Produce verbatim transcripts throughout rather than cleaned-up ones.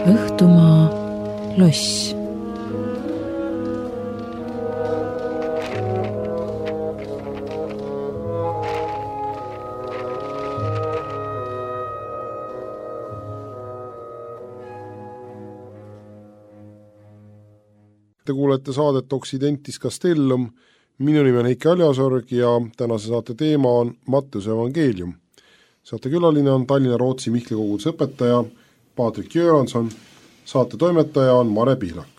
Õhtumaa loss. Te kuulete saadet Occidentis Castellum, minu nimi on Heiki Aljasorg ja tänase saate teema on Matteuse evangeelium. Saate külaline on Tallinna Rootsi Mihkli koguduse õpetaja Patrik Jöranson, saate toimetaja on Mare Pihlak.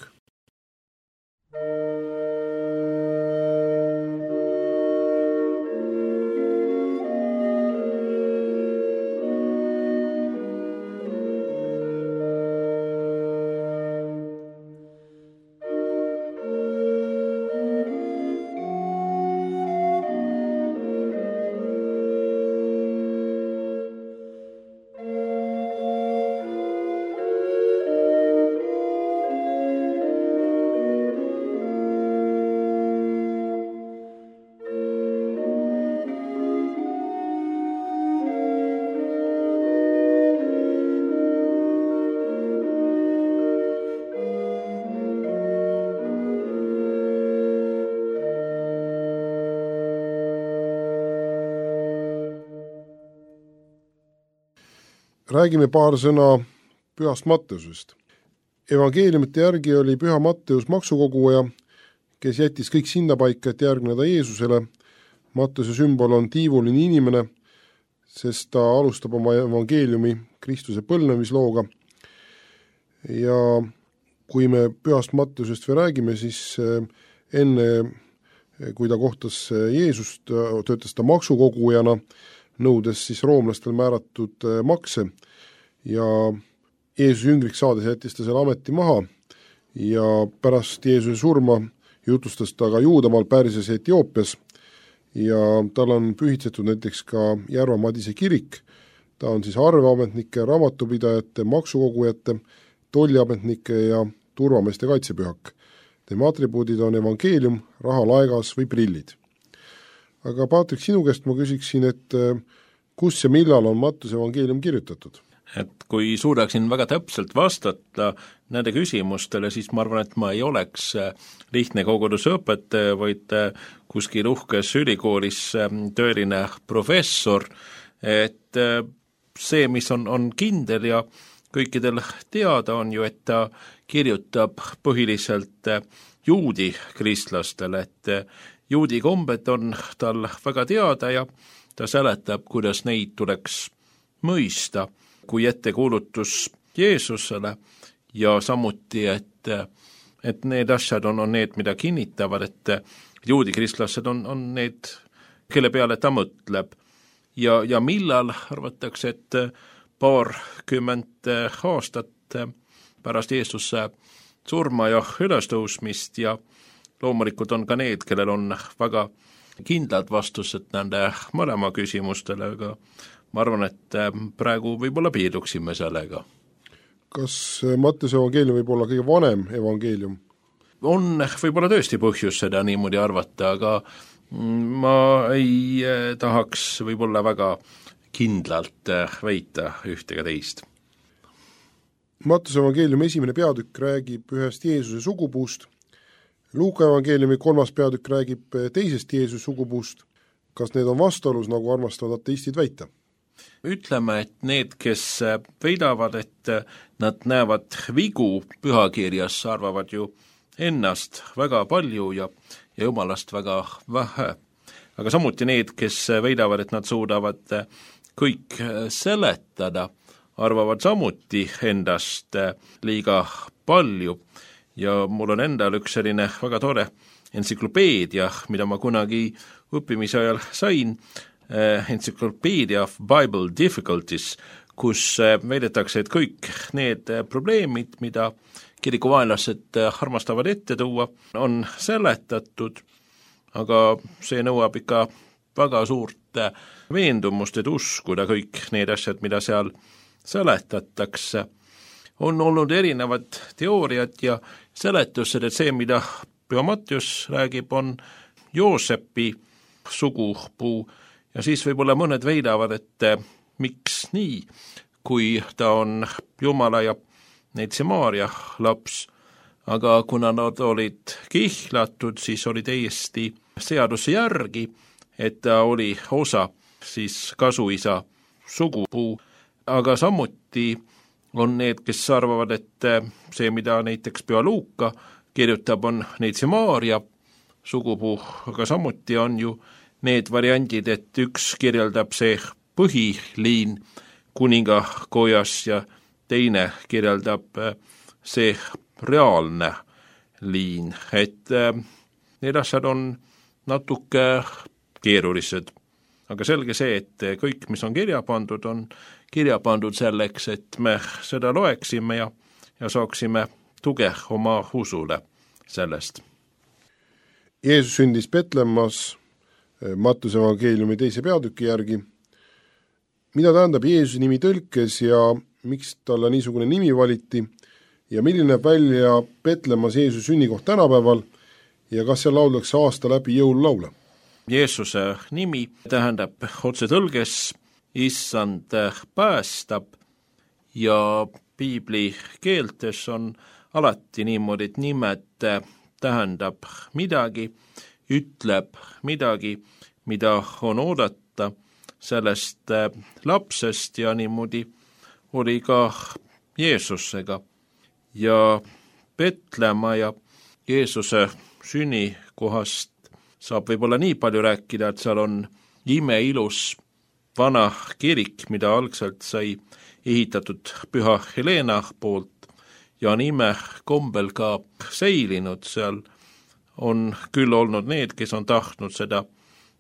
Räägime paar sõna pühast Matteusest. Evangeeliumite järgi oli püha Matteus maksukoguja, kes jättis kõik sinnapaika, et järgneda Jeesusele. Matteuse sümbol on tiivuline inimene, sest ta alustab oma evangeeliumi Kristuse põlvnemislooga. Ja kui me pühast Matteusest või räägime, siis enne, kui ta kohtas Jeesust, töötas ta maksukogujana, nõudes siis roomlastel määratud makse ja Jeesuse jüngriks saades jättis ta selle ameti maha ja pärast Jeesuse surma jutustas ta ka Juudamaal, Pärsias ja Etioopias ja tal on pühitsetud näiteks ka Järva Madise kirik. Ta on siis arveametnike, raamatupidajate, maksukogujate, tolliametnike ja turvameeste kaitsepühak. Tema atribuudid on evangeelium, raha, laegas või prillid. Aga Patrik, sinu käest ma küsiksin, et kus ja millal on Matteuse evangeelium kirjutatud? Et kui suudaksin väga täpselt vastata nende küsimustele, siis ma arvan, et ma ei oleks lihtne kogudusõpetaja, vaid kuskil uhkes ülikoolis tööline professor, et see, mis on, on kindel ja kõikidel teada on ju, et ta kirjutab põhiliselt juudi kristlastele, et juudi kombed on tal väga teada ja ta seletab, kuidas neid tuleks mõista kui ettekuulutus Jeesusele ja samuti, et, et need asjad on, on need, mida kinnitavad, et juudi kristlased on, on need, kelle peale ta mõtleb. Ja, ja millal arvatakse, et paarkümmend aastat pärast Jeesuse surma ja ülestõusmist ja loomulikult on ka need, kellel on väga kindlad vastused nende mõlema küsimustele, aga ma arvan, et praegu võib-olla piirduksime sellega. Kas Matteuse evangeelium võib olla kõige vanem evangeelium? On võib-olla tõesti põhjus seda niimoodi arvata, aga ma ei tahaks võib-olla väga kindlalt väita ühtega teist. Matteuse evangeeliumi esimene peatükk räägib ühest Jeesuse sugupuust. Luuka evangeeliumi kolmas peatükk räägib teisest Jeesuse sugupuust. Kas need on vastuolus, nagu armastavad ateistid väita? Ütleme, et need, kes väidavad, et nad näevad vigu pühakirjas, arvavad ju ennast väga palju ja, ja jumalast väga vähe. Aga samuti need, kes väidavad, et nad suudavad kõik seletada, arvavad samuti endast liiga palju. Ja mul on endal üks selline väga tore entsüklopeedia, mida ma kunagi õppimise ajal sain, Encyclopedia of Bible Difficulties, kus väidetakse, et kõik need probleemid, mida kirikuvaenlased armastavad ette tuua, on seletatud, aga see nõuab ikka väga suurt veendumust, et uskuda kõik need asjad, mida seal seletatakse. On olnud erinevad teooriad ja seletused, et see, mida Püha Matteus räägib, on Joosepi sugupuu ja siis võib-olla mõned väidavad, et miks nii, kui ta on Jumala ja Neitsimaaria laps, aga kuna nad olid kihlatud, siis oli täiesti seaduse järgi, et ta oli osa siis kasuisa sugupuu, aga samuti on need, kes arvavad, et see, mida näiteks Püha Luuka kirjutab, on Neitsimaaria sugupuu, aga samuti on ju need variandid, et üks kirjeldab see põhiliin kuningakojas ja teine kirjeldab see reaalne liin, et need asjad on natuke keerulised. Aga selge see, et kõik, mis on kirja pandud, on kirja pandud selleks, et me seda loeksime ja, ja saaksime tuge oma usule sellest. Jeesus sündis Petlemmas Mattuse evangeeliumi teise peatüki järgi. Mida tähendab Jeesuse nimi tõlkes ja miks talle niisugune nimi valiti ja milline näeb välja Petlemmas Jeesuse sünnikoht tänapäeval ja kas seal lauldakse aasta läbi jõululaule? Jeesuse nimi tähendab otse tõlges issand päästab ja piibli keeltes on alati niimoodi, et nimed tähendab midagi, ütleb midagi, mida on oodata sellest lapsest ja niimoodi oli ka Jeesusega. Ja Petlemma ja Jeesuse sünnikohast saab võib-olla nii palju rääkida, et seal on imeilus vana kirik, mida algselt sai ehitatud Püha Helena poolt ja on ime kombel ka säilinud. Seal on küll olnud need, kes on tahtnud seda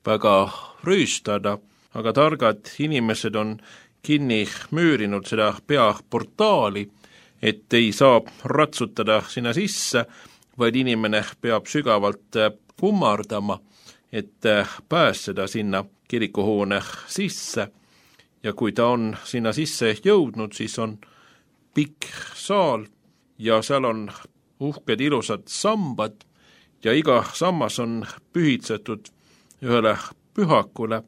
väga rüüstada, aga targad inimesed on kinni müürinud seda peaportaali, et ei saa ratsutada sinna sisse, vaid inimene peab sügavalt kummardama, et pääseda sinna kirikuhoone sisse. Ja kui ta on sinna sisse jõudnud, siis on pikk saal ja seal on uhked ilusad sambad ja iga sammas on pühitsetud ühele pühakule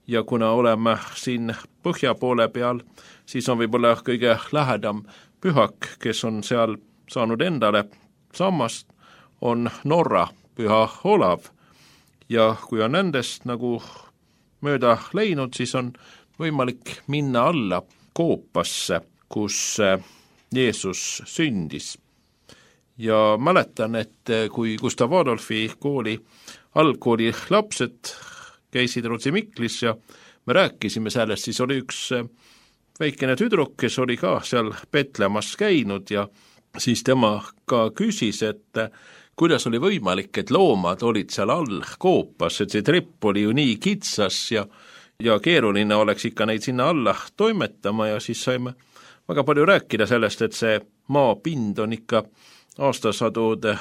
ja kuna oleme siin põhja poole peal, siis on võib-olla kõige lähedam pühak, kes on seal saanud endale sammast, on Norra Püha Olav ja kui on nendest nagu mööda läinud, siis on võimalik minna alla koopasse, kus Jeesus sündis. Ja mäletan, et kui Gustav Adolfi kooli algkooli lapsed käisid Rootsi Miklis ja me rääkisime sellest, siis oli üks väikene tüdruk, kes oli ka seal Petlemmas käinud ja siis tema ka küsis, et kuidas oli võimalik, et loomad olid seal all koopas, et see trepp oli ju nii kitsas ja, ja keeruline oleks ikka neid sinna alla toimetama ja siis saime väga palju rääkida sellest, et see maapind on ikka aastasadude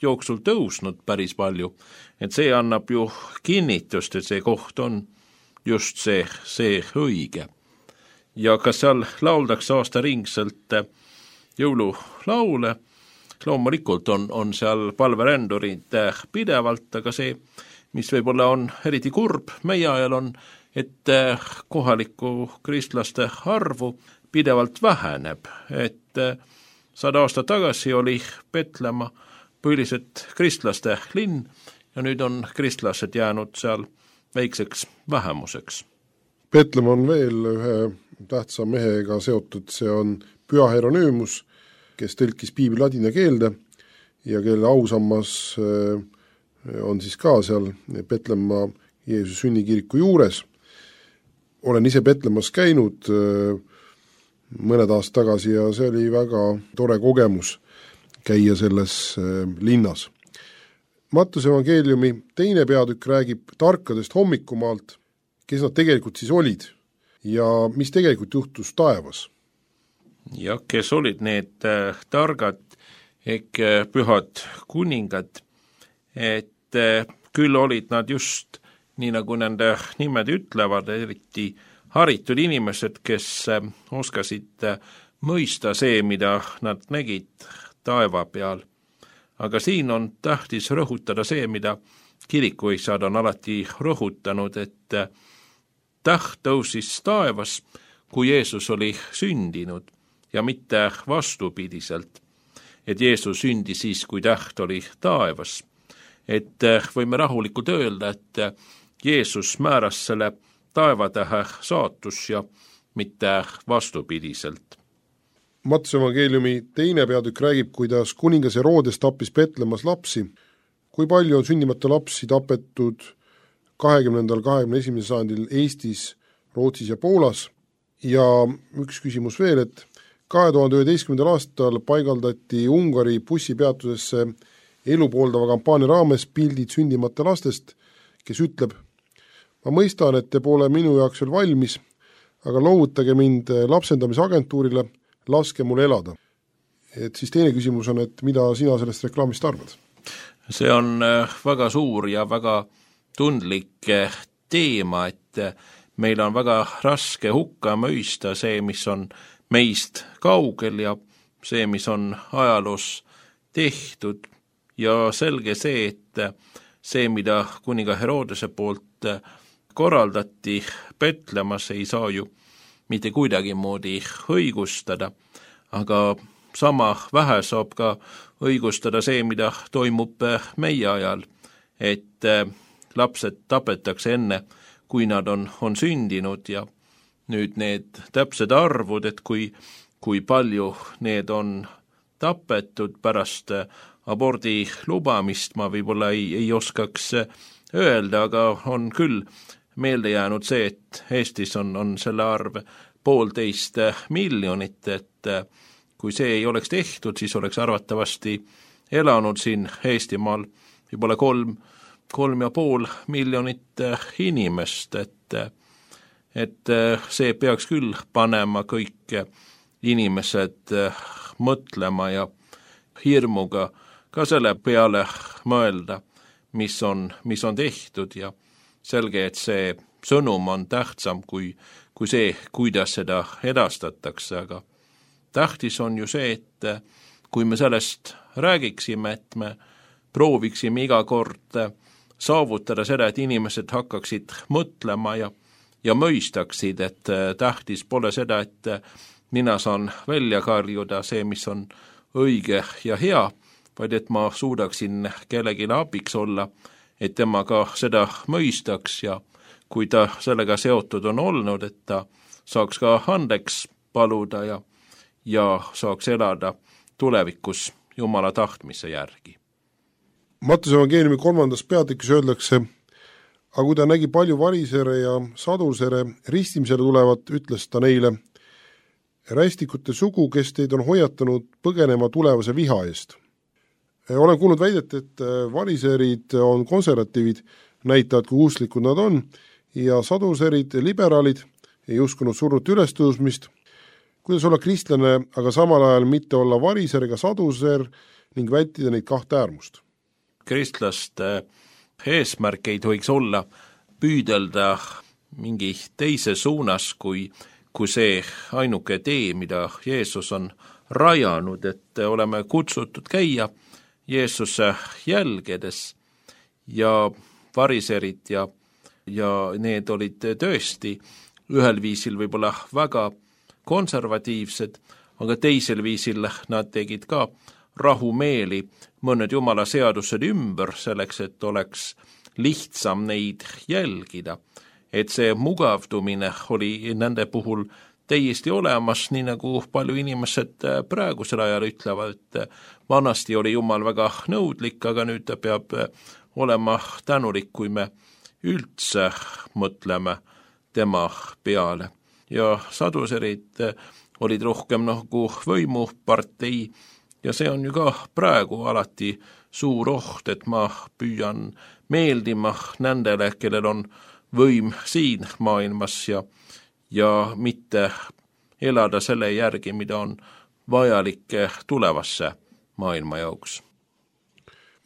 jooksul tõusnud päris palju, et see annab ju kinnitust, et see koht on just see, see õige. Ja kas seal lauldakse aastaringselt jõululaule, loomulikult on, on seal palverändurid pidevalt, aga see, mis võib-olla on eriti kurb meie ajal on, et kohaliku kristlaste arvu pidevalt väheneb, et sada aastat tagasi oli Petlemma põhiliselt kristlaste linn ja nüüd on kristlased jäänud seal väikseks vähemuseks. Petlemma on veel ühe tähtsa mehega seotud, see on Püha Hieronüümus, kes tõlkis piibli ladina keelde ja kelle ausammas on siis ka seal Petlemma Jeesuse sünnikiriku juures. Olen ise Petlemmas käinud mõned aastad tagasi ja see oli väga tore kogemus käia selles linnas. Mattuse evangeeliumi teine peatükk räägib tarkadest hommikumaalt, kes nad tegelikult siis olid ja mis tegelikult juhtus taevas. Ja kes olid need äh, targad ehk äh, pühad kuningad, et äh, küll olid nad just nii nagu nende nimed ütlevad, eriti haritud inimesed, kes äh, oskasid äh, mõista see, mida nad nägid taeva peal. Aga siin on tähtis rõhutada see, mida kirikuisad on alati rõhutanud, et äh, täht tõusis taevas, kui Jeesus oli sündinud. ja mitte vastupidiselt, et Jeesus sündis siis, kui täht oli taevas. Et võime rahulikult öelda, et Jeesus määras selle taevatähe saatus ja mitte vastupidiselt. Mattuse evangeeliumi teine peatükk räägib, kuidas kuningas Herodes tappis Betlemas lapsi. Kui palju on sündimata lapsi tapetud kahekümnendal, kahekümne esimesel sajandil Eestis, Rootsis ja Poolas? Ja üks küsimus veel, et kahe tuhande üheteistkümnendal aastal paigaldati Ungari bussipeatusesse elu pooldava kampaania raames pildid sündimata lastest, kes ütleb: ma mõistan, et te pole minu jaoks veel valmis, aga loovutage mind lapsendamisagentuurile, laske mul elada. Et siis teine küsimus on, et mida sina sellest reklaamist arvad? See on väga suur ja väga tundlik teema, et meil on väga raske hukka mõista see, mis on meist kaugel ja see, mis on ajaloos tehtud. Ja selge see, et see, mida kuninga Herodese poolt korraldati Betlemas, ei saa ju mitte kuidagi moodi õigustada, aga sama vähe saab ka õigustada see, mida toimub meie ajal, et lapsed tapetakse enne, kui nad on, on sündinud ja nüüd need täpsed arvud, et kui, kui palju need on tapetud pärast abordi lubamist, ma võib-olla ei, ei oskaks öelda, aga on küll meelde jäänud see, et Eestis on, on selle arv poolteist miljonit, et kui see ei oleks tehtud, siis oleks arvatavasti elanud siin Eestimaal võib-olla kolm, kolm ja pool miljonit inimest, et, et see peaks küll panema kõik inimesed mõtlema ja hirmuga ka selle peale mõelda, mis on, mis on tehtud ja selge, et see sõnum on tähtsam kui, kui see, kuidas seda edastatakse, aga tähtis on ju see, et kui me sellest räägiksime, et me prooviksime iga kord saavutada seda, et inimesed hakkaksid mõtlema ja, ja mõistaksid, et tähtis pole seda, et mina saan välja karjuda see, mis on õige ja hea, vaid et ma suudaksin kellelegi abiks olla, et tema ka seda mõistaks ja kui ta sellega seotud on olnud, et ta saaks ka andeks paluda ja, ja saaks elada tulevikus Jumala tahtmise järgi. Mattuse evangeeliumi kolmandas peatükis öeldakse, aga kui ta nägi palju varisere ja sadusere ristimisele tulevat, ütles ta neile: rästikute sugu, kes teid on hoiatanud põgenema tulevase viha eest. Olen kuulnud väidet, et variserid on konservatiivid, näitavad, kui usklikud nad on, ja saduserid, liberaalid, ei uskunud surnute ülestõusmist. Kuidas olla kristlane, aga samal ajal mitte olla variser ega saduser ning vältida neid kahte äärmust? Kristlaste eesmärk ei tohiks olla püüdelda mingi teise suunas kui, kui see ainuke tee, mida Jeesus on rajanud, et oleme kutsutud käia Jeesuse jälgedes ja variserid ja, ja need olid tõesti ühel viisil võib-olla väga konservatiivsed, aga teisel viisil nad tegid ka rahumeeli mõned Jumala seadused ümber selleks, et oleks lihtsam neid jälgida. Et see mugavdumine oli nende puhul täiesti olemas, nii nagu palju inimesed praegusel ajal ütlevad, et vanasti oli Jumal väga nõudlik, aga nüüd ta peab olema tänulik, kui me üldse mõtleme tema peale. Ja saduserid olid rohkem nagu võimupartei ja see on ju ka praegu alati suur oht, et ma püüan meeldima nendele, kellel on võim siin maailmas ja, ja mitte elada selle järgi, mida on vajalik tulevasse maailma jaoks.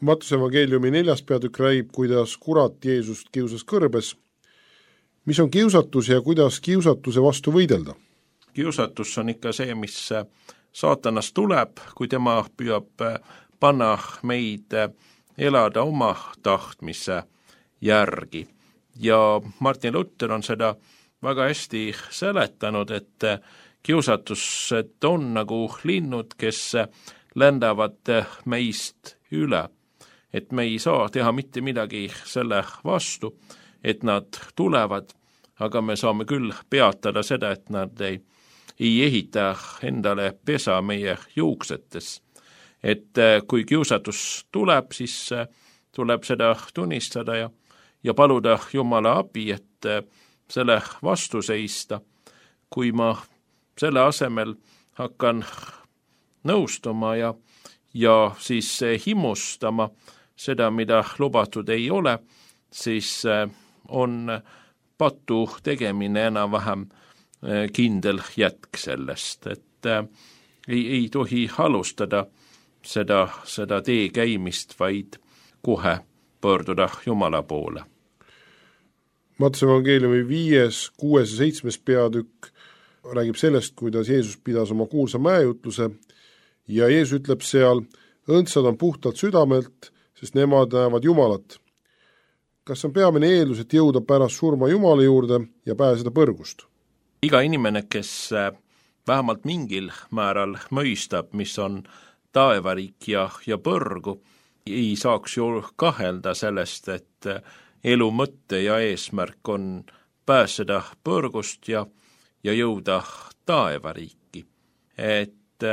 Mattuse evangeeliumi neljas peatükk räägib, kuidas kurat Jeesust kiusas kõrbes. Mis on kiusatus ja kuidas kiusatuse vastu võidelda? Kiusatus on ikka see, mis saatanast tuleb, kui tema püüab panna meid elada oma tahtmise järgi. Ja Martin Luther on seda väga hästi seletanud, et kiusatus, et on nagu linnud, kes lendavad meist üle, et me ei saa teha mitte midagi selle vastu, et nad tulevad, aga me saame küll peatada seda, et nad ei, ei ehita endale pesa meie juuksetes. Et kui kiusatus tuleb, siis tuleb seda tunnistada ja, ja paluda Jumala abi, et selle vastu seista. Kui ma selle asemel hakkan nõustuma ja, ja siis himmustama seda, mida lubatud ei ole, siis on patu tegemine enam-vähem kindel jätk sellest, et ei, ei tohi alustada seda, seda tee käimist, vaid kohe pöörduda Jumala poole. Matteuse evangeeliumi viies, kuues ja seitsmes peatükk räägib sellest, kuidas Jeesus pidas oma kuulsa mäejutluse ja Jeesus ütleb seal, õndsad on puhtalt südamelt, sest nemad näevad Jumalat. Kas on peamine eeldus, et jõuda pärast surma Jumala juurde ja pääseda põrgust? Iga inimene, kes vähemalt mingil määral mõistab, mis on taevariik ja, ja põrgu, ei saaks ju kahelda sellest, et elu mõtte ja eesmärk on pääseda põrgust ja, ja jõuda taevariiki. Et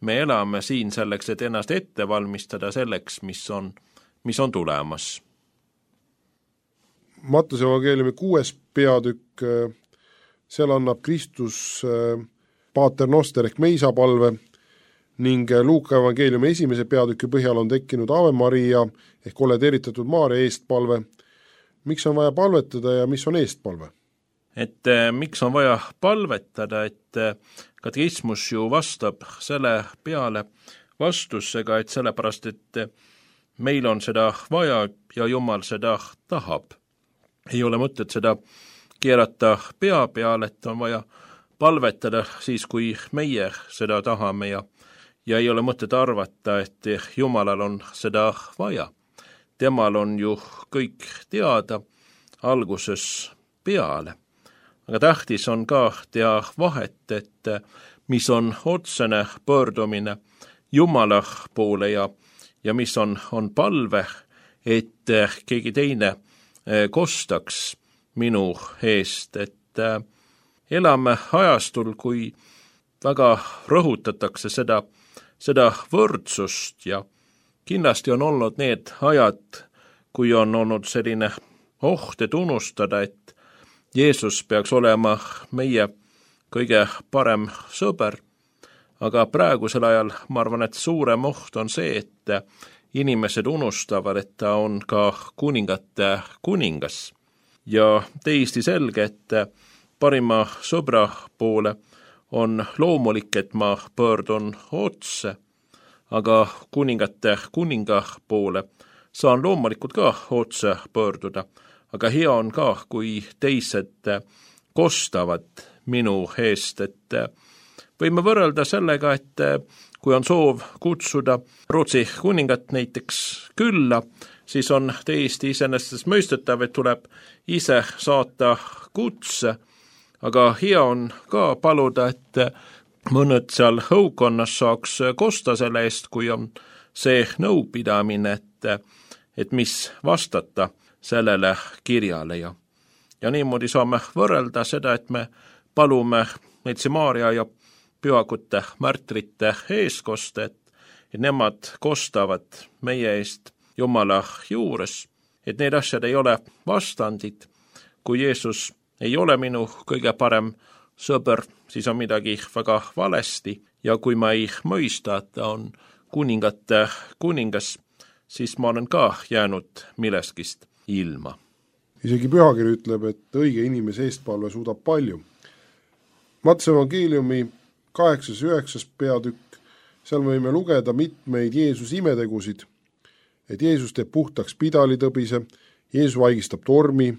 me elame siin selleks, et ennast ette valmistada selleks, mis on, mis on tulemas. Matteuse evangeeliumi kuues peatükk, seal annab Kristus Pater Noster ehk meisapalve ning Luuka evangeeliumi esimese peatüki põhjal on tekkinud Ave Maria ehk oled eritatud Maaria eestpalve. Miks on vaja palvetada ja mis on eestpalve? Et miks on vaja palvetada, et katekismus ju vastab selle peale vastusega, et sellepärast, et meil on seda vaja ja Jumal seda tahab. Ei ole mõtet seda keerata pea peal, et on vaja palvetada siis, kui meie seda tahame ja, ja ei ole mõtet arvata, et Jumalal on seda vaja. Temal on ju kõik teada alguses peale. Aga tähtis on ka teha vahet, et mis on otsene pöördumine Jumala poole ja, ja mis on, on palve, et keegi teine kostaks minu eest, et elame ajastul, kui väga rõhutatakse seda, seda võrdsust ja kindlasti on olnud need ajad, kui on olnud selline oht, et unustada, et Jeesus peaks olema meie kõige parem sõber, aga praegusel ajal ma arvan, et suurem oht on see, et inimesed unustavad, et ta on ka kuningate kuningas. Ja täiesti selge, et parima sõbra poole on loomulik, et ma pöördun otse, aga kuningate kuninga poole saan loomulikult ka otse pöörduda, aga hea on ka, kui teised kostavad minu eest, et võime võrrelda sellega, et kui on soov kutsuda Rootsi kuningat näiteks külla, siis on täiesti iseenesest mõistetav, et tuleb ise saata kutse, aga hea on ka paluda, et mõned seal õukonnas saaks kosta selle eest, kui on see nõupidamine, et, et mis vastata sellele kirjale ja, ja niimoodi saame võrrelda seda, et me palume Neitsi Maaria ja pühakute märtrite eeskoste, et, et nemad kostavad meie eest Jumala juures, et need asjad ei ole vastandid. Kui Jeesus ei ole minu kõige parem sõber, siis on midagi väga valesti ja kui ma ei mõista, et ta on kuningate kuningas, siis ma olen ka jäänud milleskist ilma. Isegi pühakiri ütleb, et õige inimese eestpalve suudab palju. Matteuse evangeeliumi kaheksas ja üheksas peatükk, seal võime lugeda mitmeid Jeesus imetegusid, et Jeesus teeb puhtaks pidalitõbise, Jeesus vaigistab tormi,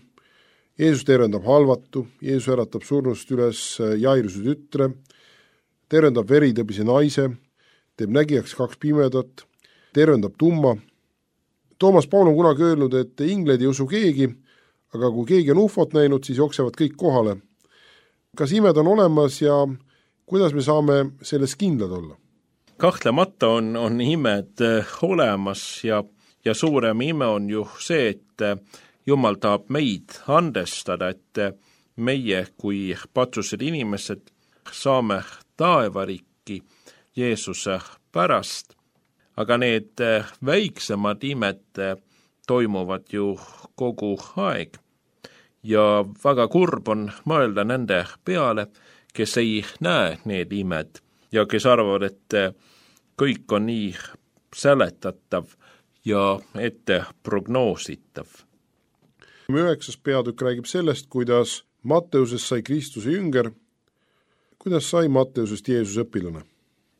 Jeesus tervendab halvatu, Jeesus äratab surnust üles Jairuse tütre, tervendab veritõbise naise, teeb nägijaks kaks pimedat, tervendab tumma. Toomas Paul on kunagi öelnud, et ingled ei usu keegi, aga kui keegi on ufot näinud, siis jooksevad kõik kohale. Kas imed on olemas ja kuidas me saame selles kindlad olla? Kahtlemata on, on imed olemas ja, ja suurem ime on ju see, et Jumal tahab meid andestada, et meie kui patsused inimesed saame taevariiki Jeesuse pärast, aga need väiksemad imed toimuvad ju kogu aeg ja väga kurb on mõelda nende peale, kes ei näe need imed ja kes arvavad, et kõik on nii seletatav ja ette prognoositav. Üheksas peatükk räägib sellest, kuidas Matteusest sai Kristuse jünger. Kuidas sai Matteusest Jeesus õpilane?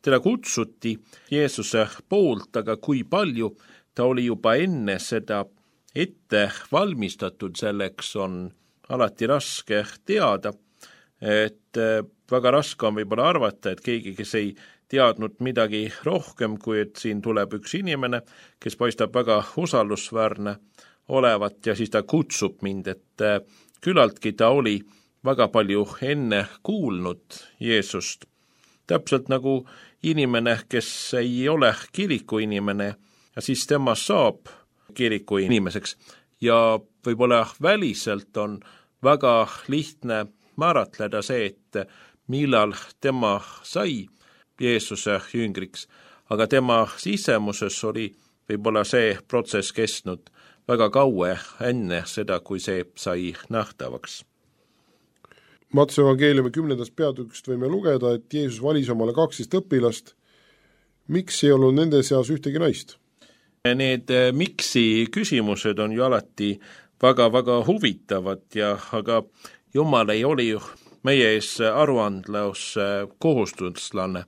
Teda kutsuti Jeesuse poolt, aga kui palju ta oli juba enne seda ette valmistatud, selleks on alati raske teada, et väga raske on võib-olla arvata, et keegi, kes ei teadnud midagi rohkem, kui et siin tuleb üks inimene, kes paistab väga usaldusväärne olevat ja siis ta kutsub mind, et külaltki ta oli väga palju enne kuulnud Jeesust. Täpselt nagu inimene, kes ei ole kiriku inimene ja siis temast saab kiriku inimeseks ja võib-olla väliselt on väga lihtne määratleda see, et millal tema sai Jeesuse jüngriks, aga tema sisemuses oli võib-olla see protsess kestnud väga kaua enne seda, kui see sai nähtavaks. Matteuse evangeeliumi kümnendast peatükist võime lugeda, et Jeesus valis omale kaksteist õpilast. Miks ei olnud nende seas ühtegi naist? Need miksi küsimused on ju alati väga-väga huvitavad, ja, aga Jumal ei oli ju meie ees aruandlus kohustuslane,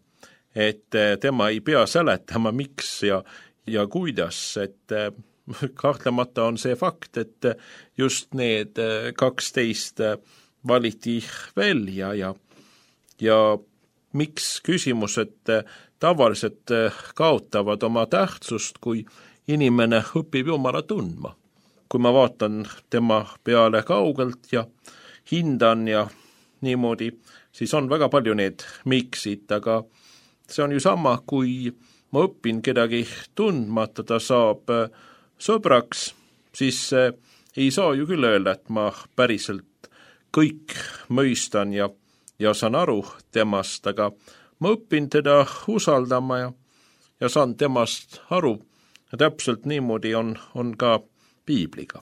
et tema ei pea seletama miks ja, ja kuidas, et kahtlemata on see fakt, et just need kaksteist valiti välja ja, ja miks küsimused tavaliselt kaotavad oma tähtsust, kui inimene õpib Jumala tundma. Kui ma vaatan tema peale kaugelt ja hindan ja niimoodi, siis on väga palju need miksid, aga see on ju sama, kui ma õpin kedagi tundmata, ta saab sõbraks, siis ei saa ju küll öelda, et ma päriselt kõik mõistan ja, ja saan aru temast, aga ma õpin teda usaldama ja, ja saan temast aru. Ja täpselt niimoodi on, on ka piibliga.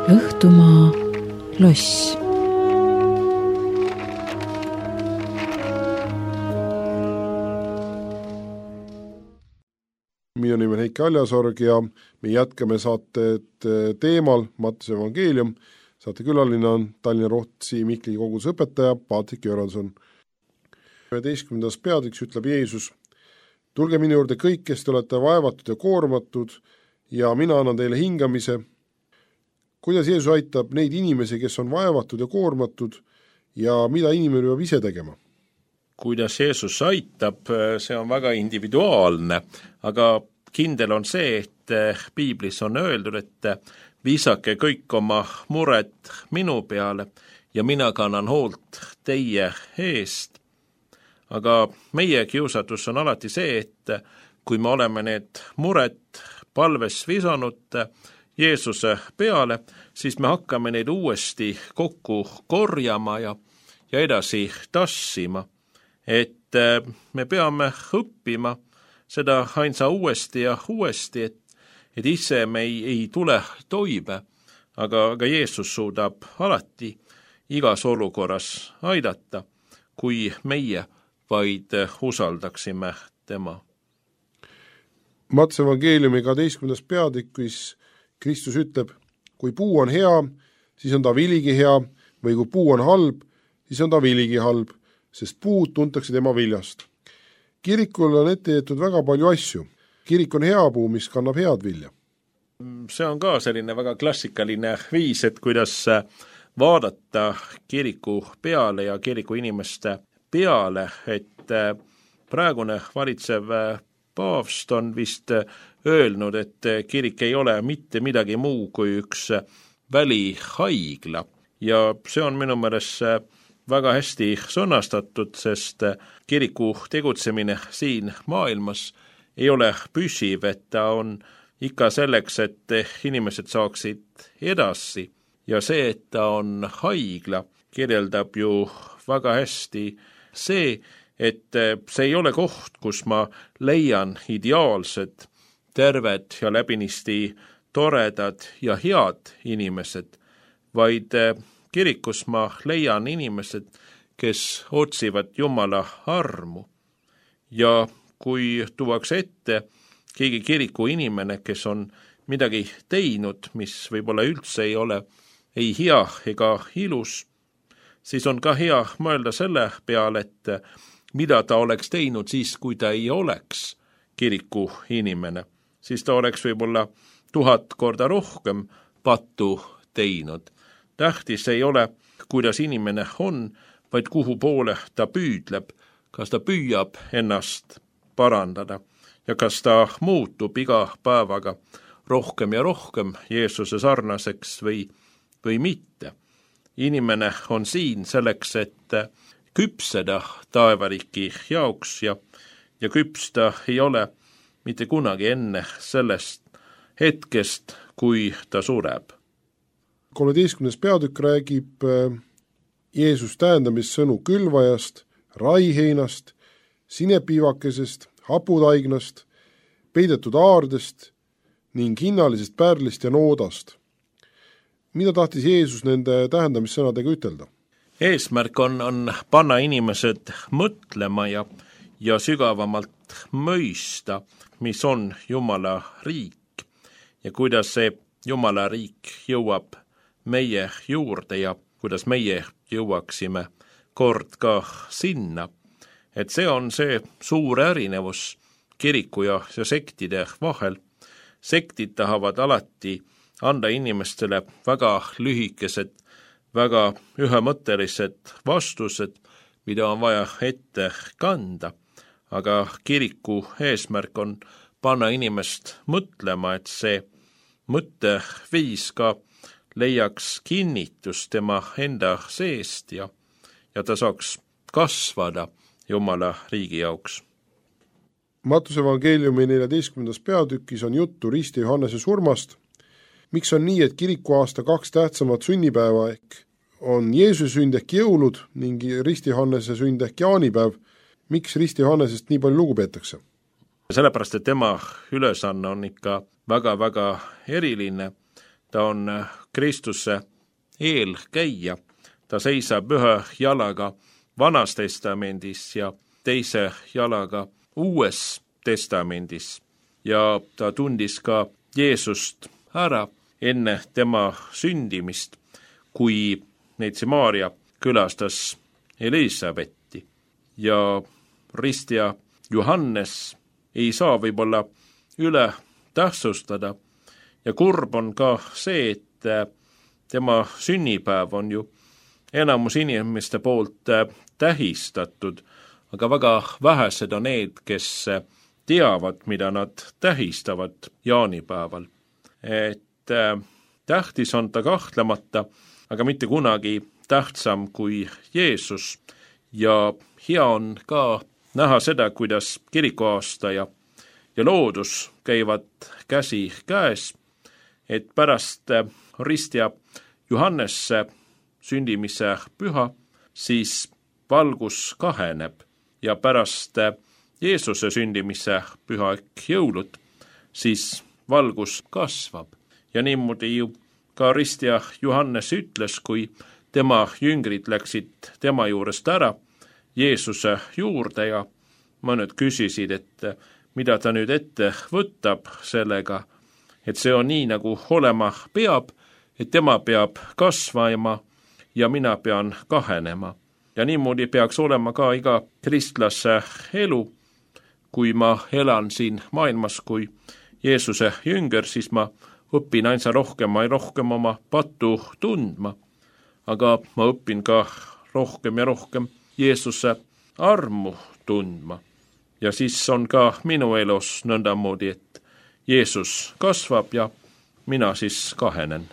Õhtumaa loss. Minu nimi on Heiki Aljasorg ja me jätkame saated teemal Matteuse evangeelium. Saate külaline on Tallinna Rohtsi Mihkli koguduse õpetaja Paatrik Jörgenson. üheteistkümnendas peatüks ütleb Jeesus: tulge minu juurde kõik, kes te olete vaevatud ja koormatud, ja mina annan teile hingamise. Kuidas Jeesus aitab neid inimesi, kes on vaevatud ja koormatud, ja mida inimene peab ise tegema? Kuidas Jeesus aitab, see on väga individuaalne, aga kindel on see, et piiblis on öeldud, et viisake kõik oma mured minu peale ja mina kannan hoolt teie eest. aga meie kiusatus on alati see, et kui me oleme need mured palves visanud Jeesuse peale, siis me hakkame neid uuesti kokku korjama ja, ja edasi tassima. Et me peame õppima seda ainsa uuesti ja uuesti, et, et ise me ei, ei tule toime, aga, aga Jeesus suudab alati igas olukorras aidata, kui meie vaid usaldaksime tema. Matse evangeeliumi kaheteistkümnendas peatükis Kristus ütleb, kui puu on hea, siis on ta viligi hea, või kui puu on halb, siis on ta viligi halb, sest puud tuntakse tema viljast. Kirikul on ette jäetud väga palju asju. Kirik on hea puu, mis kannab head vilja. See on ka selline väga klassikaline viis, et kuidas vaadata kiriku peale ja kiriku inimeste peale, et praegune valitsev paavst on vist öelnud, et kirik ei ole mitte midagi muu kui üks välihaigla ja see on minu meelest väga hästi sõnastatud, sest kiriku tegutsemine siin maailmas ei ole püsiv, et ta on ikka selleks, et inimesed saaksid edasi ja see, et ta on haigla, kirjeldab ju väga hästi see, et see ei ole koht, kus ma leian ideaalsed, terved ja läbinisti toredad ja head inimesed, vaid kirikus ma leian inimesed, kes otsivad Jumala armu. Ja kui tuuakse ette keegi kiriku inimene, kes on midagi teinud, mis võib-olla üldse ei ole ei hea ega ilus, siis on ka hea mõelda selle peale, et mida ta oleks teinud siis, kui ta ei oleks kiriku inimene. Siis ta oleks võib-olla tuhat korda rohkem pattu teinud. Tähtis ei ole, kuidas inimene on, vaid kuhu poole ta püüdleb, kas ta püüab ennast parandada ja kas ta muutub iga päevaga rohkem ja rohkem Jeesuse sarnaseks või, või mitte. Inimene on siin selleks, et küpseda taevariiki jaoks ja, ja küpsta ei ole mitte kunagi enne sellest hetkest, kui ta sureb. kolmeteistkümnes peatükk räägib Jeesus tähendamissõnu külvajast, raiheinast, sinepiivakesest, haputaignast, peidetud aardest ning hinnalisest pärlist ja noodast. Mida tahtis Jeesus nende tähendamissõnadega ütelda? Eesmärk on, on panna inimesed mõtlema ja, ja sügavamalt mõista, mis on Jumala riik ja kuidas see Jumala riik jõuab meie juurde ja kuidas meie jõuaksime kord ka sinna. Et see on see suur erinevus kiriku ja, ja sektide vahel. Sektid tahavad alati anda inimestele väga lühikesed, väga ühemõttelised vastused, mida on vaja ette kanda. Aga kiriku eesmärk on panna inimest mõtlema, et see mõtteviis ka leiaks kinnitust tema enda seest ja, ja ta saaks kasvada Jumala riigi jaoks. Mattuse evangeeliumi neljateistkümnendas peatükis on juttu Risti Johannese surmast. Miks on nii, et kirikuaasta kaks tähtsamat sünnipäeva ehk on Jeesuse sünd ehk jõulud ning Risti Johannese sünd ehk jaanipäev? Miks Risti Johannesest nii palju lugu peetakse? Sellepärast, et tema ülesanne on ikka väga-väga eriline. Ta on Kristuse eelkäija. Ta seisab ühe jalaga Vanas testamendis ja teise jalaga Uues testamendis. Ja ta tundis ka Jeesust ära enne tema sündimist, kui neitsi Maaria külastas Elisabetti. Ja Rist ja Johannes ei saa võib-olla üle tähtsustada. Ja kurb on ka see, et tema sünnipäev on ju enamus inimeste poolt tähistatud, aga väga vähesed on need, kes teavad, mida nad tähistavad jaanipäeval. Et tähtis on ta kahtlemata, aga mitte kunagi tähtsam kui Jeesus ja hea on ka näha seda, kuidas kirikuaasta ja, ja loodus käivad käsi käes, et pärast Ristia Johannesse sündimise püha, siis valgus kaheneb ja pärast Jeesuse sündimise püha ehk jõulud, siis valgus kasvab. Ja niimoodi ju ka Ristia Johannes ütles, kui tema jüngrid läksid tema juurest ära Jeesuse juurde ja mõned küsisid, et mida ta nüüd ette võtab sellega, et see on nii, nagu olema peab, et tema peab kasvama ja mina pean kahenema. Ja niimoodi peaks olema ka iga kristlase elu. Kui ma elan siin maailmas kui Jeesuse jünger, siis ma õpin ainsa rohkem ja rohkem oma pattu tundma. Aga ma õpin ka rohkem ja rohkem Jeesuse armu tundma. Ja siis on ka minu elus nõndamoodi, et Jeesus kasvab ja mina siis kahenen.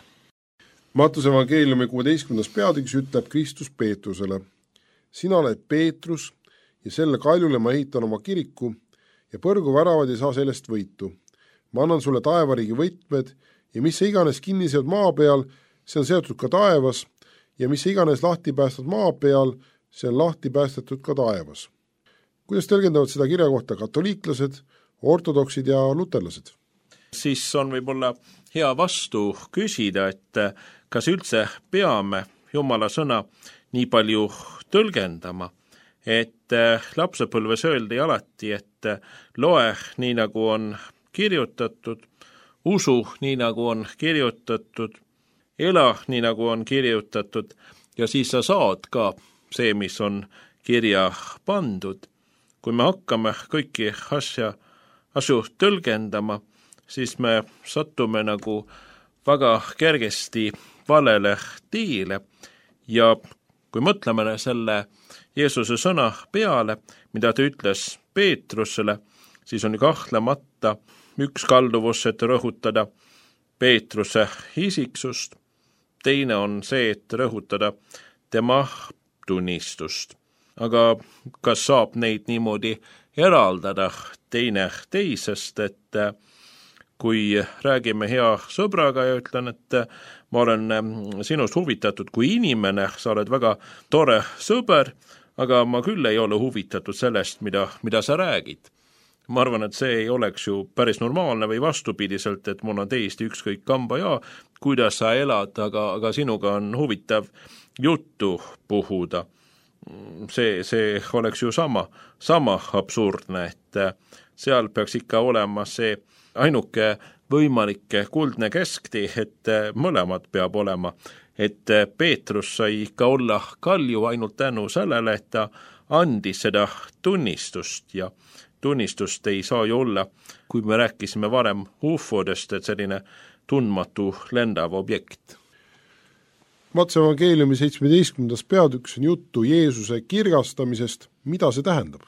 Mattuse evangeeliumi kuueteistkümnendas peatükis ütleb Kristus Peetrusele: sina oled Peetrus ja selle kaljule ma ehitan oma kiriku ja põrguväravad ei saa sellest võitu. Ma annan sulle taevariigi võtmed ja mis sa iganes kinni seod maa peal, see on seotud ka taevas, ja mis sa iganes lahti päästad maa peal, see on lahti päästetud ka taevas. Kuidas tõlgendavad seda kirja kohta katoliiklased, ortodoksid ja luterlased? Siis on võib-olla hea vastu küsida, et kas üldse peame Jumala sõna nii palju tõlgendama, et lapsepõlves öeldi alati, et loe nii, nagu on kirjutatud, usu nii, nagu on kirjutatud, ela nii, nagu on kirjutatud, ja siis sa saad ka see, mis on kirja pandud. Kui me hakkame kõiki asja, asju tõlgendama, siis me sattume nagu väga kergesti valele tiile ja kui mõtleme selle Jeesuse sõna peale, mida ta ütles Peetrusele, siis on kahtlemata üks kalduvus, et rõhutada Peetruse isiksust, teine on see, et rõhutada tema tunnistust. Aga kas saab neid niimoodi eraldada teine teisest, et kui räägime hea sõbraga ja ütlen, et ma olen sinust huvitatud kui inimene, sa oled väga tore sõber, aga ma küll ei ole huvitatud sellest, mida, mida sa räägid. Ma arvan, et see ei oleks ju päris normaalne või vastupidiselt, et mul on täiesti ükskõik kamba ja kuidas sa elad, aga, aga sinuga on huvitav juttu puhuda. See, see oleks ju sama, sama absurdne, et seal peaks ikka olema see ainuke võimalike kuldne kesktee, et mõlemad peab olema, et Peetrus sai ikka olla kalju ainult tänu sellele, et ta andis seda tunnistust ja tunnistust ei saa ju olla, kui me rääkisime varem ufodest, et selline tundmatu lendav objekt. Mattuse evangeeliumi seitsmeteistkümnendas peatükis on juttu Jeesuse kirgastamisest. Mida see tähendab?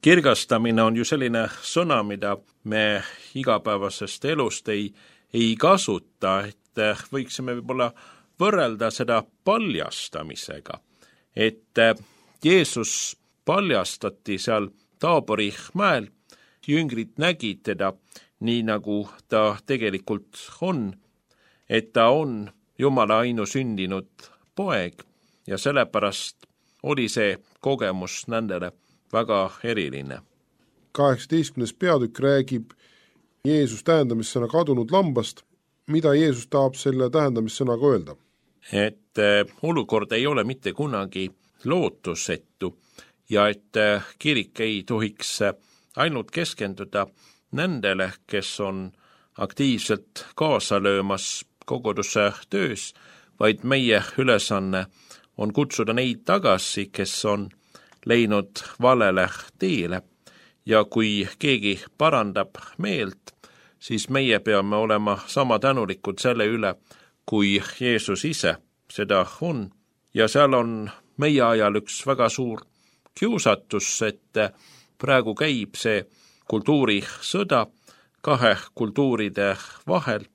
Kirgastamine on ju selline sõna, mida me igapäevasest elust ei, ei kasuta, et võiksime võib-olla võrrelda seda paljastamisega. Et Jeesus paljastati seal Taabori mäel, jüngrid nägid teda nii, nagu ta tegelikult on, et ta on Jumala ainusündinud poeg ja sellepärast oli see kogemus nendele väga eriline. kaheksateistkümnes peatükk räägib Jeesus tähendamissõna kadunud lambast. Mida Jeesus tahab selle tähendamissõnaga öelda? Et olukord ei ole mitte kunagi lootusetu ja et kirik ei tohiks ainult keskenduda nendele, kes on aktiivselt kaasa löömas koguduse töös, vaid meie ülesanne on kutsuda neid tagasi, kes on leidnud valele teele ja kui keegi parandab meelt, siis meie peame olema sama tänulikud selle üle, kui Jeesus ise seda on. Ja seal on meie ajal üks väga suur kiusatus, et praegu käib see kultuurisõda kahe kultuuride vahel,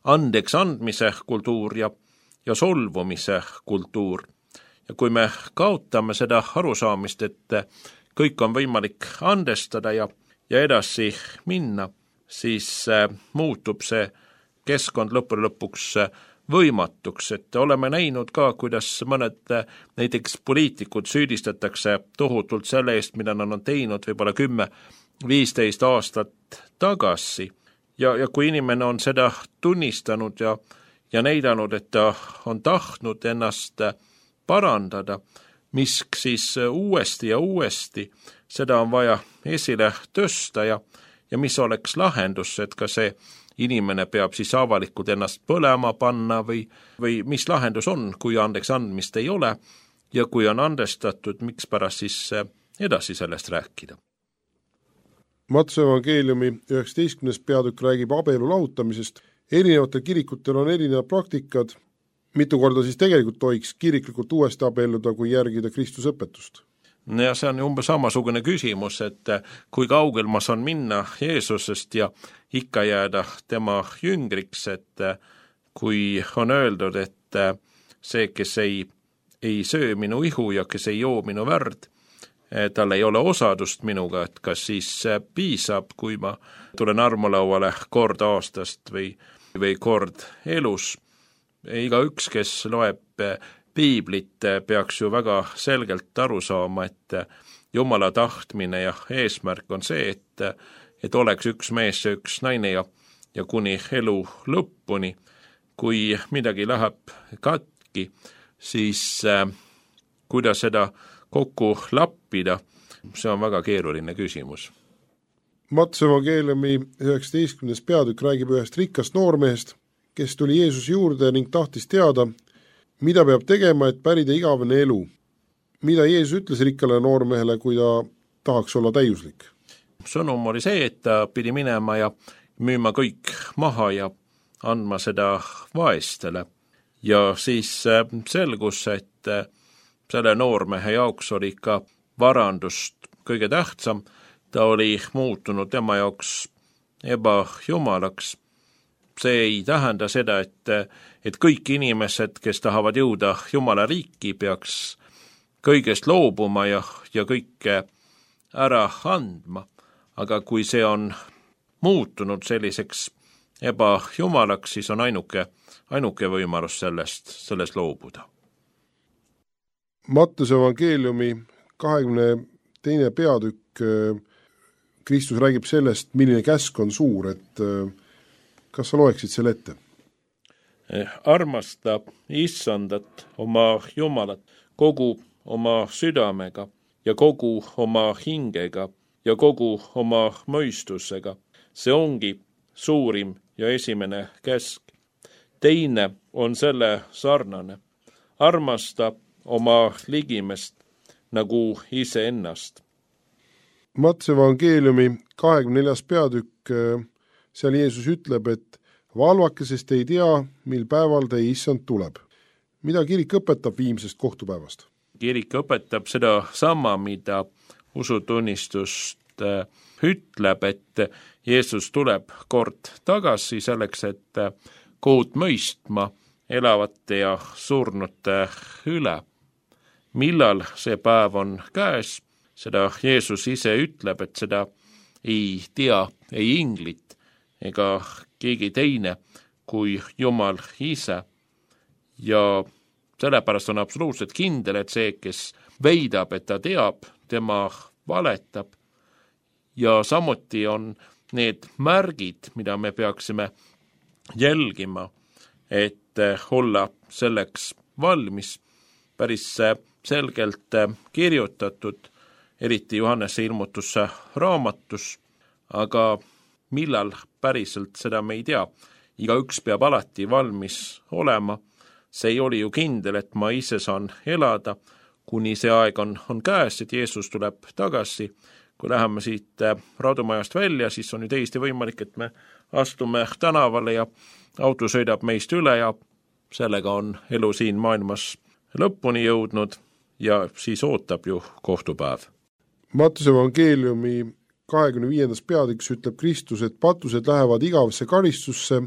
andeks andmise kultuur ja, ja solvumise kultuur. ja kui me kaotame seda arusaamist, et kõik on võimalik andestada ja, ja edasi minna, siis muutub see keskkond lõppude lõpuks võimatuks, et oleme näinud ka, kuidas mõned näiteks poliitikud süüdistatakse tohutult selle eest, mida nad on teinud võib-olla kümme, viisteist aastat tagasi. Ja, ja kui inimene on seda tunnistanud ja, ja näidanud, et ta on tahtnud ennast parandada, mis siis uuesti ja uuesti, seda on vaja esile tõsta ja, ja mis oleks lahendus, et ka see inimene peab siis avalikult ennast põlema panna või, või mis lahendus on, kui andeks andmist ei ole ja kui on andestatud, miks pärast siis edasi sellest rääkida. Matuse evangeeliumi üheksateistkümnes peatükk räägib abielu lahutamisest. Erinevatel kirikutel on erinevad praktikad, mitu korda siis tegelikult tohiks kiriklikult uuesti abielluda, kui järgida Kristuse õpetust. Ja see on umbes samasugune küsimus, et kui kaugel ma saan minna Jeesusest ja ikka jääda tema jüngriks, et kui on öeldud, et see, kes ei, ei söö minu ihu ja kes ei joo minu värd, tal ei ole osadust minuga, et kas siis piisab, kui ma tulen armulauale kord aastast või, või kord elus. Iga üks, kes loeb piiblit, peaks ju väga selgelt aru saama, et Jumala tahtmine ja eesmärk on see, et, et oleks üks mees ja üks naine ja, ja kuni elu lõppuni. Kui midagi läheb katki, siis äh, kuidas seda kokku lappida, see on väga keeruline küsimus. Matuse evangeeliumi üheksateistkümnes peatükk räägib ühest rikkast noormehest, kes tuli Jeesuse juurde ning tahtis teada, mida peab tegema, et pärida igavene elu. Mida Jeesus ütles rikkale noormehele, kui ta tahaks olla täiuslik? Sõnum oli see, et ta pidi minema ja müüma kõik maha ja andma seda vaestele. Ja siis selgus, et selle noormehe jaoks oli ka varandust kõige tähtsam. Ta oli muutunud tema jaoks ebajumalaks. See ei tähenda seda, et, et kõik inimesed, kes tahavad jõuda Jumala riiki, peaks kõigest loobuma ja, ja kõike ära andma. Aga kui see on muutunud selliseks ebajumalaks, siis on ainuke, ainuke võimalus sellest, sellest loobuda. Matuse evangeeliumi kahekümne teine peatükk, Kristus räägib sellest, milline käsk on suur, et kas sa loeksid selle ette? Armasta issandat oma Jumalat kogu oma südamega ja kogu oma hingega ja kogu oma mõistusega. See ongi suurim ja esimene käsk. Teine on selle sarnane. Armasta oma ligimest nagu iseennast. Matuse evangeeliumi kahekümne neljas peatükk, seal Jeesus ütleb, et valvake, sest ei tea, mil päeval teie issand tuleb. Mida kirik õpetab viimsest kohtupäevast? Kirik õpetab seda sama, mida usutunnistust ütleb, et Jeesus tuleb kord tagasi selleks, et kohut mõistma elavate ja surnute üle. Millal see päev on käes, seda Jeesus ise ütleb, et seda ei tea ei inglit ega keegi teine kui Jumal ise. Ja sellepärast on absoluutselt kindel, et see, kes veidab, et ta teab, tema valetab. Ja samuti on need märgid, mida me peaksime jälgima, et olla selleks valmis, päris selgelt kirjutatud, eriti Johannese ilmutusse raamatus, aga millal päriselt seda me ei tea. Igaüks peab alati valmis olema. See ei oli ju kindel, et ma ise saan elada, kuni see aeg on, on käes, et Jeesus tuleb tagasi. Kui läheme siit raudumajast välja, siis on ju täiesti võimalik, et me astume tänavale ja auto sõidab meist üle ja sellega on elu siin maailmas lõpuni jõudnud ja siis ootab ju kohtupäev. Matuse evangeeliumi kahekümne viiendas peatükis ütleb Kristus, et patused lähevad igavesse karistusse,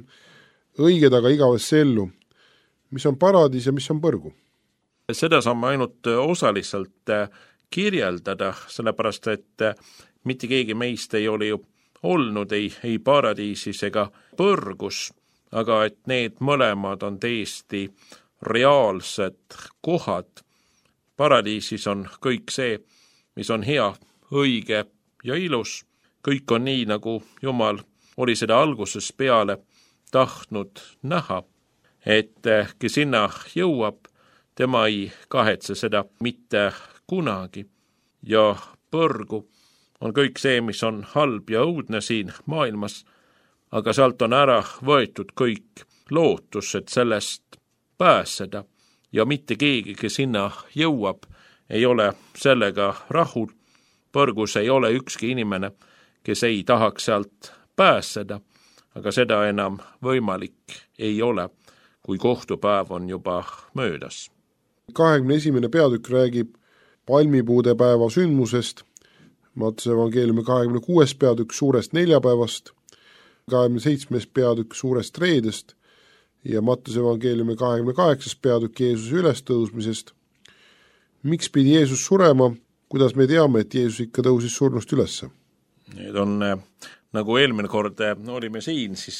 õiged aga igavesse ellu. Mis on paradis ja mis on põrgu? seda saame ainult osaliselt kirjeldada, sellepärast et mitte keegi meist ei ole ju olnud ei, ei paradiisis ega põrgus, aga et need mõlemad on täiesti reaalsed kohad. Paradiisis on kõik see, mis on hea, õige ja ilus. Kõik on nii, nagu Jumal oli seda algusest peale tahtnud näha, et kes sinna jõuab, tema ei kahetse seda mitte kunagi. Ja põrgu on kõik see, mis on halb ja õudne siin maailmas, aga sealt on ära võetud kõik lootus, et sellest pääseda. Ja mitte keegi, kes sinna jõuab, ei ole sellega rahul. Põrgus ei ole ükski inimene, kes ei tahaks sealt pääseda, aga seda enam võimalik ei ole, kui kohtupäev on juba möödas. kahekümne esimene peatükk räägib palmipuude päeva sündmusest, Mattuse evangeeliumi kahekümne kuues peatükk suurest neljapäevast, kahekümne seitsmes peatükk suurest reedest ja Mattuse evangeeliumi kahekümne kaheksas peatükk Jeesuse ülestõusmisest. Miks pidi Jeesus surema? Kuidas me teame, et Jeesus ikka tõusis surnust ülesse? Need on, nagu eelmine kord olime siin, siis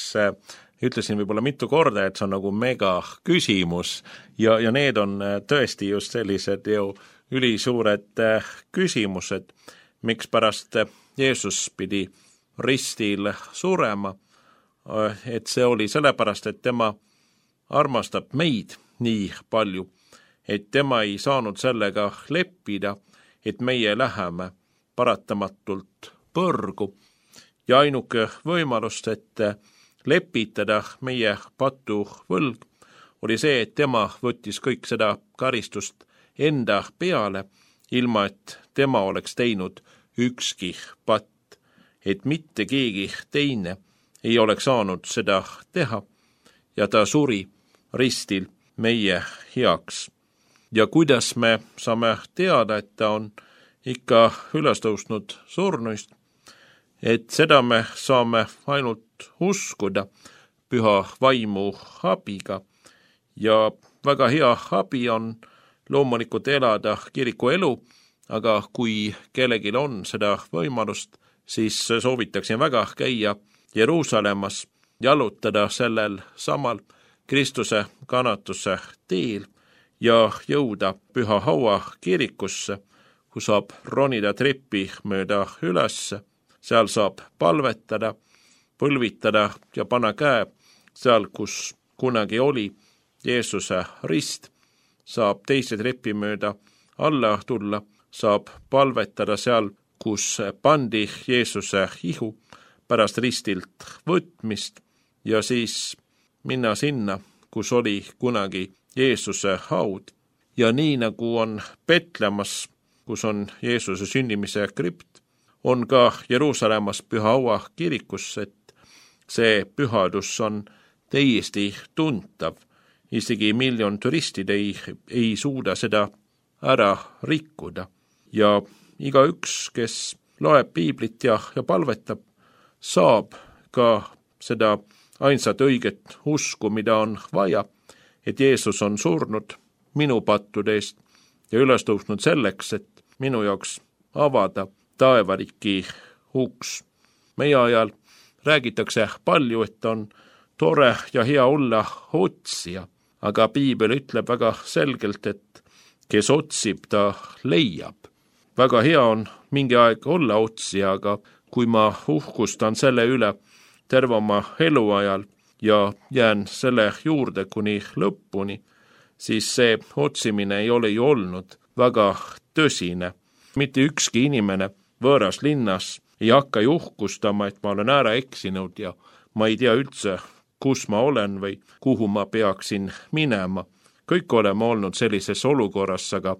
ütlesin võib-olla mitu korda, et see on nagu mega küsimus ja, ja need on tõesti just sellised ju ülisuured küsimused, miks pärast Jeesus pidi ristil surema, et see oli sellepärast, et tema armastab meid nii palju, et tema ei saanud sellega leppida, et meie läheme paratamatult põrgu ja ainuke võimalust, et lepitada meie patu võlg, oli see, et tema võttis kõik seda karistust enda peale, ilma et tema oleks teinud ükski patt, et mitte keegi teine ei oleks saanud seda teha ja ta suri ristil meie heaks. Ja kuidas me saame teada, et ta on ikka üles tõusnud surnuist, et seda me saame ainult uskuda püha vaimu abiga ja väga hea abi on loomulikult elada kiriku elu, aga kui kellelgi on seda võimalust, siis soovitaksin väga käia Jeruusalemmas, jalutada sellel samal Kristuse kannatuse teel ja jõuda Püha Haua kirikusse, kus saab ronida treppi mööda ülesse. Seal saab palvetada, põlvitada ja panna käe seal, kus kunagi oli Jeesuse rist. Saab teise trepi mööda alla tulla, saab palvetada seal, kus pandi Jeesuse ihu pärast ristilt võtmist ja siis minna sinna, kus oli kunagi Jeesuse haud. Ja nii nagu on Petlemas, kus on Jeesuse sünnimise kript, on ka Jeruusalemmas Püha Haua kirikus, et see pühadus on täiesti tuntav. Isegi miljon turistid ei, ei suuda seda ära rikkuda. Ja igaüks, kes loeb piiblit ja, ja palvetab, saab ka seda ainsat õiget usku, mida on vaja, et Jeesus on surnud minu pattude eest ja üles tõusnud selleks, et minu jaoks avada taevariki uks. Meie ajal räägitakse palju, et on tore ja hea olla otsija, aga piibel ütleb väga selgelt, et kes otsib, ta leiab. Väga hea on mingi aeg olla otsija, aga kui ma uhkustan selle üle terve oma eluajal ja jään selle juurde kuni lõpuni, siis see otsimine ei ole ju olnud väga tõsine. Mitte ükski inimene võõras linnas ei hakka uhkustama, et ma olen ära eksinud ja ma ei tea üldse, kus ma olen või kuhu ma peaksin minema. Kõik oleme olnud sellises olukorras, aga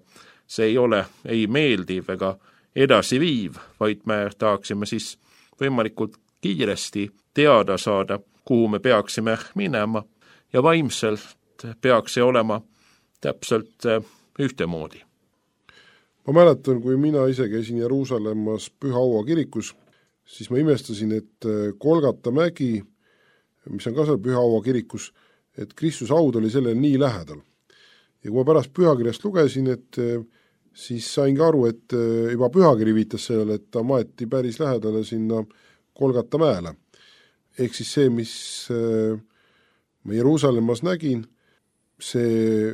see ei ole ei meeldiv ega edasi viiv, vaid me tahaksime siis võimalikult kiiresti teada saada, kuhu me peaksime minema ja vaimselt peaks see olema täpselt ühtemoodi. Ma mäletan, kui mina ise käisin Jeruusalemmas Püha Haua kirikus, siis ma imestasin, et Golgata mägi, mis on ka seal Püha Haua kirikus, et Kristuse haud oli sellele nii lähedal. ja kui ma pärast pühakirjast lugesin, et siis saingi aru, et juba pühakiri viitas sellele, et ta maeti päris lähedale sinna Golgata mäele. Ehk siis see, mis ma Jeruusalemmas nägin, see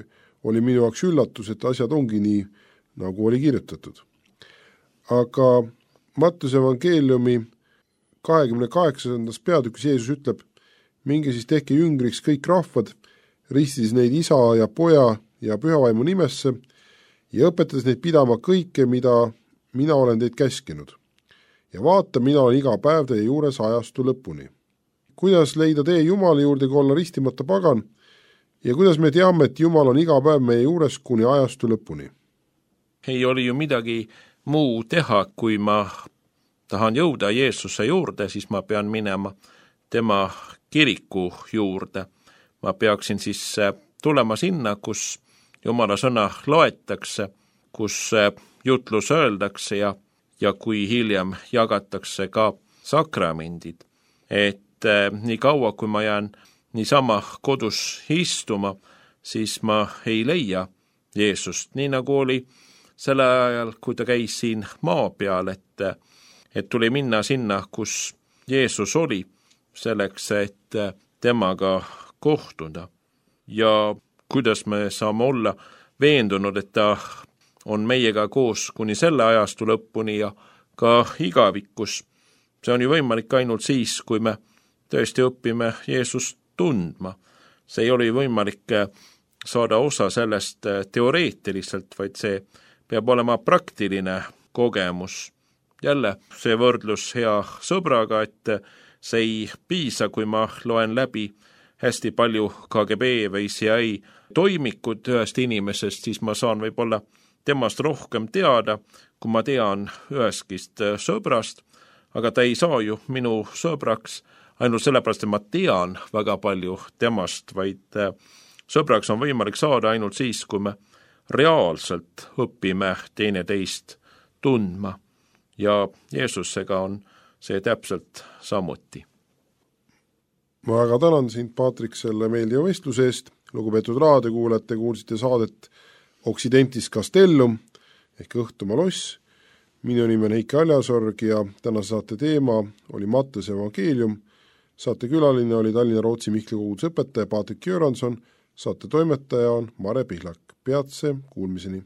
oli minu jaoks üllatus, et asjad ongi nii, nagu oli kirjutatud. Aga Mattuse evangeeliumi kahekümne kaheksandas peatükis Jeesus ütleb, minge siis tehke jüngriks kõik rahvad, ristides neid isa ja poja ja pühavaimu nimesse ja õpetades neid pidama kõike, mida mina olen teid käskinud. Ja vaata, mina olen iga päev teie juures ajastu lõpuni. Kuidas leida tee Jumala juurde, kui olla ristimata pagan? Ja kuidas me teame, et Jumal on iga päev meie juures kuni ajastu lõpuni? Ei oli ju midagi muu teha, kui ma tahan jõuda Jeesuse juurde, siis ma pean minema tema kiriku juurde. Ma peaksin siis tulema sinna, kus Jumala sõna loetakse, kus jutlus öeldakse ja, ja kui hiljem jagatakse ka sakramendid. Et eh, nii kaua, kui ma jään niisama kodus istuma, siis ma ei leia Jeesust, nii nagu oli selle ajal, kui ta käis siin maa peal, et, et tuli minna sinna, kus Jeesus oli, selleks, et temaga kohtuda. Ja kuidas me saame olla veendunud, et ta on meiega koos kuni selle ajastu lõpuni ja ka igavikus. See on ju võimalik ainult siis, kui me tõesti õpime Jeesust tundma. See ei ole võimalik saada osa sellest teoreetiliselt, vaid see peab olema praktiline kogemus. Jälle see võrdlus hea sõbraga, et see ei piisa, kui ma loen läbi hästi palju K G B või C I A toimikud ühest inimesest, siis ma saan võib-olla temast rohkem teada, kui ma tean üheskist sõbrast, aga ta ei saa ju minu sõbraks ainult sellepärast, et ma tean väga palju temast, vaid sõbraks on võimalik saada ainult siis, kui me reaalselt õpime teineteist tundma. Ja Jeesusega on see täpselt samuti. Ma väga tänan sind, Paatrik, selle meeldiva vestluse eest. Lugupeetud raadiokuulajad, kuulsite saadet Occidentis Castellum ehk Õhtumaa loss. Minu nimi on Heiki Aljasorg ja tänase saate teema oli Mattuse evangeelium. Saate külaline oli Tallinna Rootsi Mihkli koguduse õpetaja Paatrik Göransson, saate toimetaja on Mare Pihlak. Peatse kuulmiseni!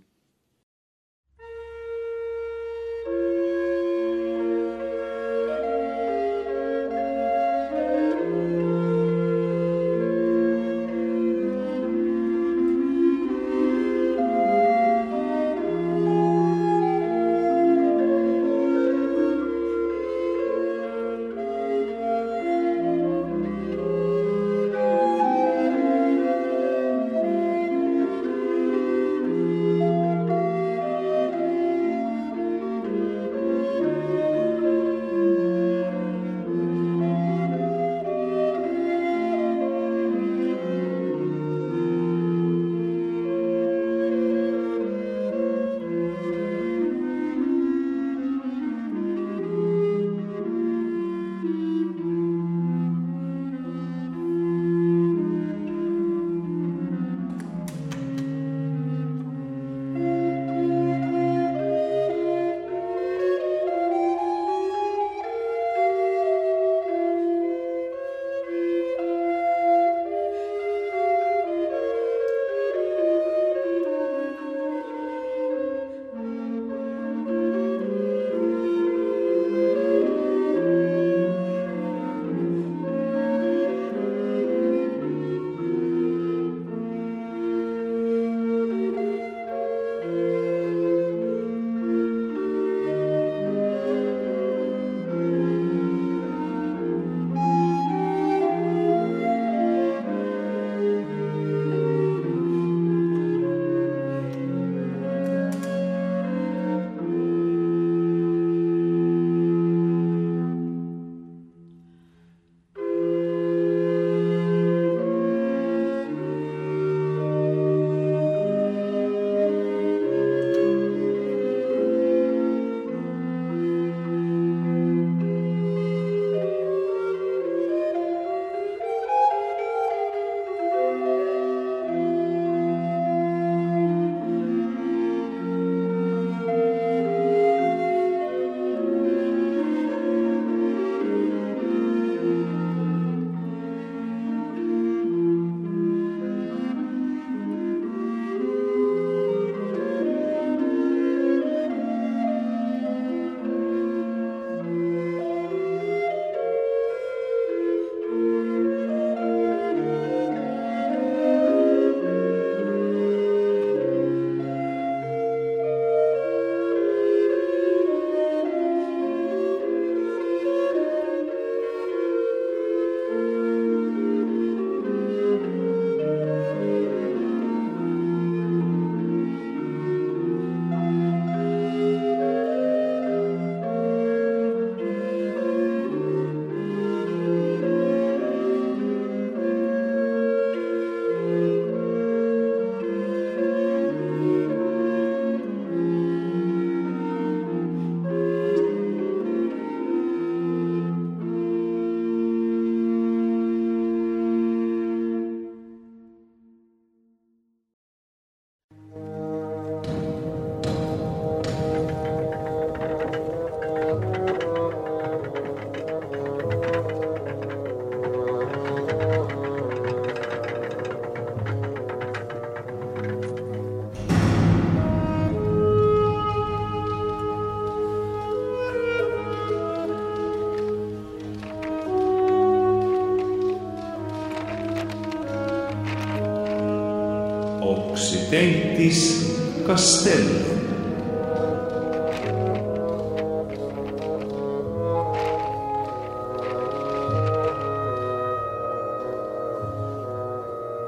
Occidentis Castellum.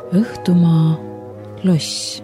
Õhtumaa loss.